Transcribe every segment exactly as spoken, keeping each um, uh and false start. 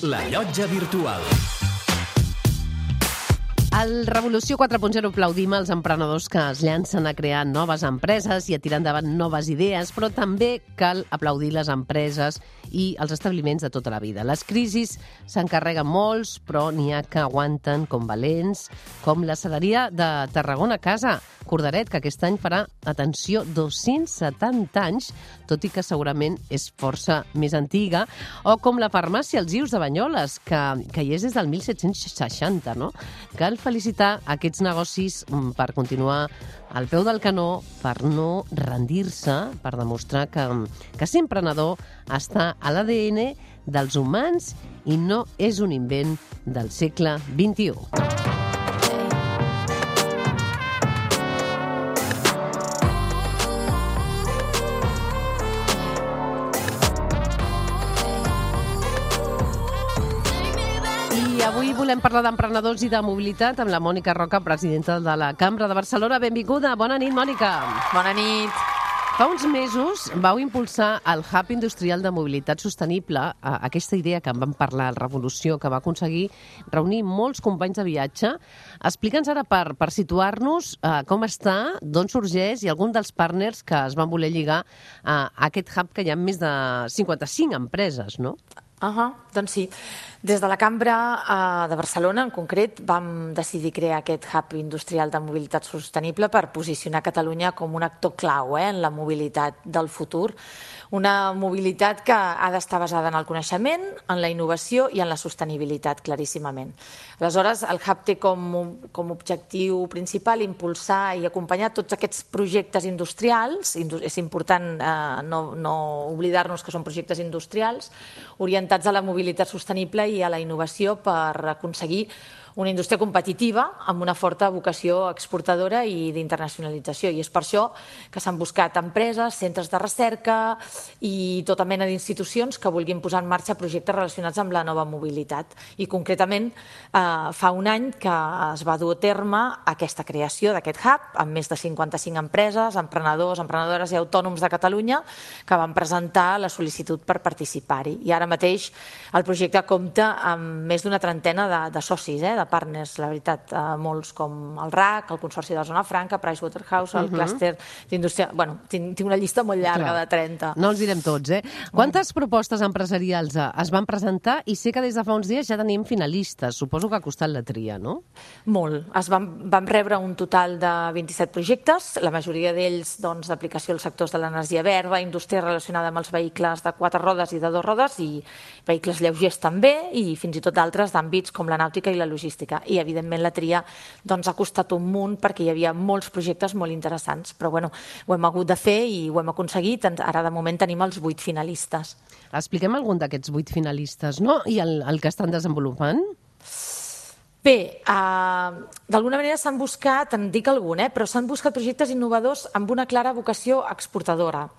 La Llotja Virtual. Al Revolució quatre punt zero aplaudim els emprenedors que es llancen a crear noves empreses i a tirar endavant noves idees, però també cal aplaudir les empreses i els establiments de tota la vida. Les crisis s'encarreguen molts, però n'hi ha que aguanten com valents, com la Cereria de Tarragona Casa, Cordaret, que aquest any farà, atenció, dos-cents setanta anys, tot i que segurament és força més antiga, o com la farmàcia Els Ius de Banyoles, que, que hi és des del mil set-cents seixanta, no? Cal felicitar aquests negocis per continuar al peu del canó, per no rendir-se, per demostrar que, que ser emprenedor està a l'A D N dels humans i no és un invent del segle vint-i-u. Avui volem parlar d'emprenedors i de mobilitat amb la Mònica Roca, presidenta de la Cambra de Barcelona. Benvinguda. Bona nit, Mònica. Bona nit. Fa uns mesos vau impulsar el Hub Industrial de Mobilitat Sostenible, aquesta idea que en vam parlar al Revolució, que va aconseguir reunir molts companys de viatge. Explica'ns ara, per, per situar-nos, eh, com està, d'on sorgeix i algun dels partners que es van voler lligar a aquest hub, que hi ha més de cinquanta-cinc empreses, no? Uh -huh, doncs sí. Des de la Cambra uh, de Barcelona, en concret, vam decidir crear aquest hub industrial de mobilitat sostenible per posicionar Catalunya com un actor clau eh, en la mobilitat del futur. Una mobilitat que ha d'estar basada en el coneixement, en la innovació i en la sostenibilitat, claríssimament. Aleshores, el hub té com, com objectiu principal impulsar i acompanyar tots aquests projectes industrials, és important eh, no, no oblidar-nos que són projectes industrials, orientats a la mobilitat sostenible i a la innovació per aconseguir una indústria competitiva amb una forta vocació exportadora i d'internacionalització. I és per això que s'han buscat empreses, centres de recerca i tota mena d'institucions que vulguin posar en marxa projectes relacionats amb la nova mobilitat. I concretament eh, fa un any que es va dur a terme aquesta creació d'aquest hub amb més de cinquanta-cinc empreses, emprenedors, emprenedores i autònoms de Catalunya que van presentar la sol·licitud per participar-hi. I ara mateix el projecte compta amb més d'una trentena de, de socis, eh, de partners, la veritat, eh, molts com el R A C, el Consorci de la Zona Franca, Pricewaterhouse, el uh -huh. clúster d'indústria... Bueno, tinc, tinc una llista molt llarga. Clar. De trenta. No els direm tots, eh? Quantes propostes empresarials es van presentar? I sé que des de fa uns dies ja tenim finalistes. Suposo que ha costat la tria, no? Molt. Es van, vam rebre un total de vint-i-set projectes, la majoria d'ells doncs, d'aplicació als sectors de l'energia verda, indústria relacionada amb els vehicles de quatre rodes i de dues rodes i vehicles lleugers també, i fins i tot d'altres d'àmbits com la nàutica i la logística. I, evidentment, la tria doncs, ha costat un munt perquè hi havia molts projectes molt interessants. Però, bueno, ho hem hagut de fer i ho hem aconseguit. Ara, de moment, tenim els vuit finalistes. Expliquem algun d'aquests vuit finalistes, no? I el, el que estan desenvolupant? Bé, uh, d'alguna manera s'han buscat, en dic algun, eh, però s'han buscat projectes innovadors amb una clara vocació exportadora,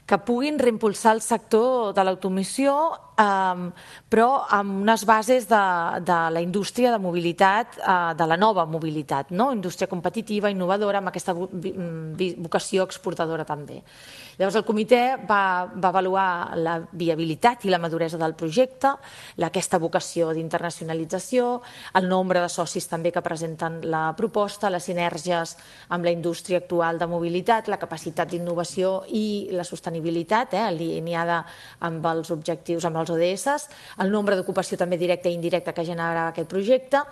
que puguin reimpulsar el sector de l'automoció, um, però amb unes bases de, de la indústria de mobilitat, uh, de la nova mobilitat, no? Indústria competitiva, innovadora, amb aquesta vocació exportadora també. Llavors, el comitè va, va avaluar la viabilitat i la maduresa del projecte, aquesta vocació d'internacionalització, el nombre de socis també que presenten la proposta, les sinergies amb la indústria actual de mobilitat, la capacitat d'innovació i la sostenibilitat, eh, alineada amb els objectius, amb els O D S, el nombre d'ocupació també directa i indirecta que generava aquest projecte,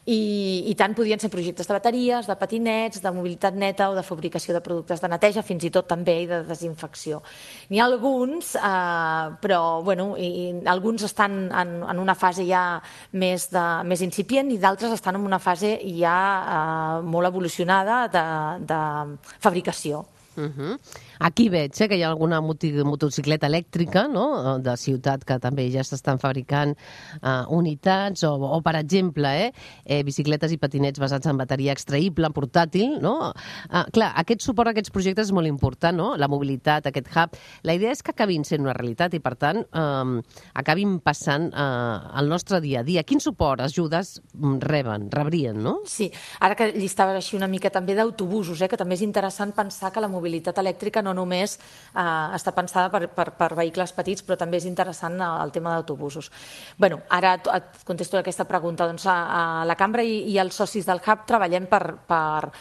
i, i tant podien ser projectes de bateries, de patinets, de mobilitat neta o de fabricació de productes de neteja, fins i tot també i de desinfecció. N'hi ha alguns, eh, però bueno, i, alguns estan en, en una fase ja més, de, més incipient i d'altres estan en una fase ja eh, molt evolucionada de, de fabricació. Uh-huh. Aquí veig eh, que hi ha alguna motocicleta elèctrica, no?, de ciutat, que també ja s'estan fabricant uh, unitats, o, o per exemple, eh, eh, bicicletes i patinets basats en bateria extraïble, portàtil, no? Uh, clar, aquest suport a aquests projectes és molt important, no?, la mobilitat, aquest hub. La idea és que acabin sent una realitat i, per tant, um, acabin passant uh, al nostre dia a dia. Quin suport, ajudes reben, rebrien, no? Sí, ara que llistaves així una mica també d'autobusos, eh, que també és interessant pensar que la mobilitat elèctrica no no només eh, està pensada per, per, per vehicles petits, però també és interessant el tema d'autobusos. Bueno, ara et contesto aquesta pregunta. Doncs a, a la Cambra i, i els socis del Hub treballem per, per,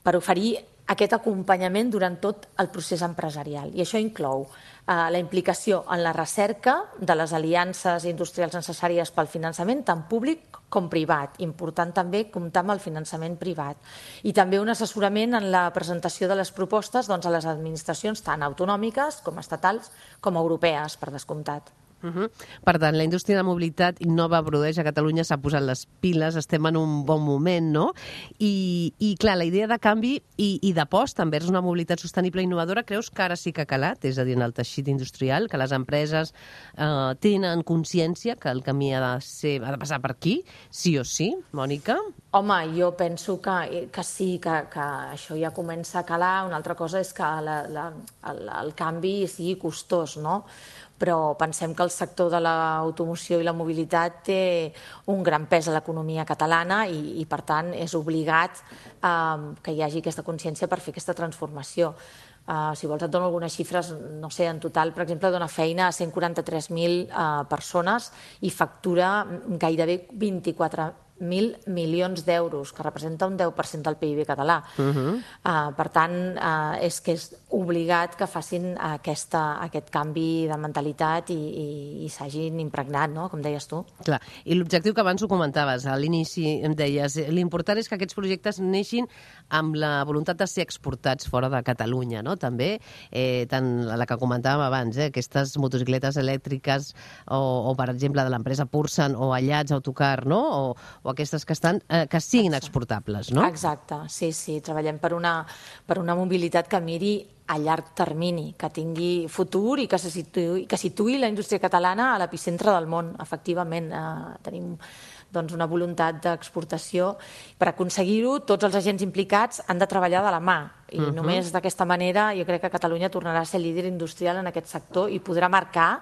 per oferir aquest acompanyament durant tot el procés empresarial. I això inclou eh, la implicació en la recerca de les aliances industrials necessàries pel finançament, tant públic com privat. Important també comptar amb el finançament privat. I també un assessorament en la presentació de les propostes doncs, a les administracions tant autonòmiques com estatals com europees, per descomptat. Uh -huh. Per tant, la indústria de mobilitat innova, produeix a Catalunya, s'ha posat les piles, estem en un bon moment, no? I, i clar, la idea de canvi i, i d'aposta envers una mobilitat sostenible i innovadora, creus que ara sí que ha calat? És a dir, en el teixit industrial, que les empreses eh, tenen consciència que el camí ha de, ser, ha de passar per aquí, sí o sí, Mònica? Home, jo penso que, que sí, que, que això ja comença a calar. Una altra cosa és que la, la, el, el canvi sigui costós, no? Però pensem que el sector de l'automoció i la mobilitat té un gran pes a l'economia catalana i, i per tant, és obligat eh, que hi hagi aquesta consciència per fer aquesta transformació. Uh, si vols et dono algunes xifres, no sé, en total, per exemple, dona feina a cent quaranta-tres mil uh, persones i factura gairebé vint-i-quatre mil milions d'euros, que representa un deu per cent del P I B català. Uh -huh. uh, per tant, uh, és que és obligat que facin aquesta, aquest canvi de mentalitat i, i, i s'hagin impregnat, no? Com deies tu. Clar, i l'objectiu que abans ho comentaves, a l'inici em deies, l'important és que aquests projectes neixin amb la voluntat de ser exportats fora de Catalunya, no? També, eh, tant la que comentàvem abans, eh, aquestes motocicletes elèctriques o, o per exemple, de l'empresa Pursan o Allats Autocar, no? O, o aquestes que estan, eh, que siguin Exacte. exportables, no? Exacte, sí, sí. Treballem per una, per una mobilitat que miri a llarg termini, que tingui futur i que se situï, que situï la indústria catalana a l'epicentre del món. Efectivament, eh, tenim doncs, una voluntat d'exportació. Per aconseguir-ho, tots els agents implicats han de treballar de la mà. I uh -huh. només d'aquesta manera jo crec que Catalunya tornarà a ser líder industrial en aquest sector i podrà marcar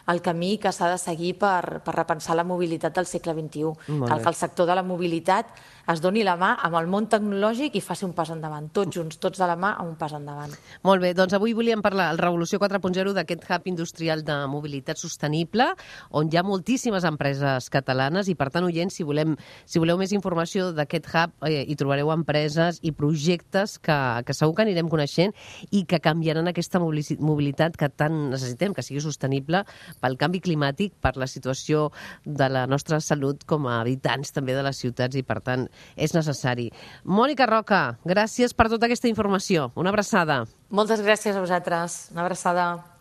el camí que s'ha de seguir per, per repensar la mobilitat del segle vint-i-u. Cal que el sector de la mobilitat es doni la mà amb el món tecnològic i faci un pas endavant. Tots junts, tots de la mà, amb un pas endavant. Molt bé, doncs avui volíem parlar al Revolució quatre punt zero d'aquest hub industrial de mobilitat sostenible, on hi ha moltíssimes empreses catalanes i, per tant, oients, si, volem, si voleu més informació d'aquest hub, eh, hi trobareu empreses i projectes que, que segur que anirem coneixent i que canviaran aquesta mobilitat que tant necessitem, que sigui sostenible pel canvi climàtic, per la situació de la nostra salut com a habitants també de les ciutats i, per tant, és necessari. Mònica Roca, gràcies per tota aquesta informació. Una abraçada. Moltes gràcies a vosaltres. Una abraçada.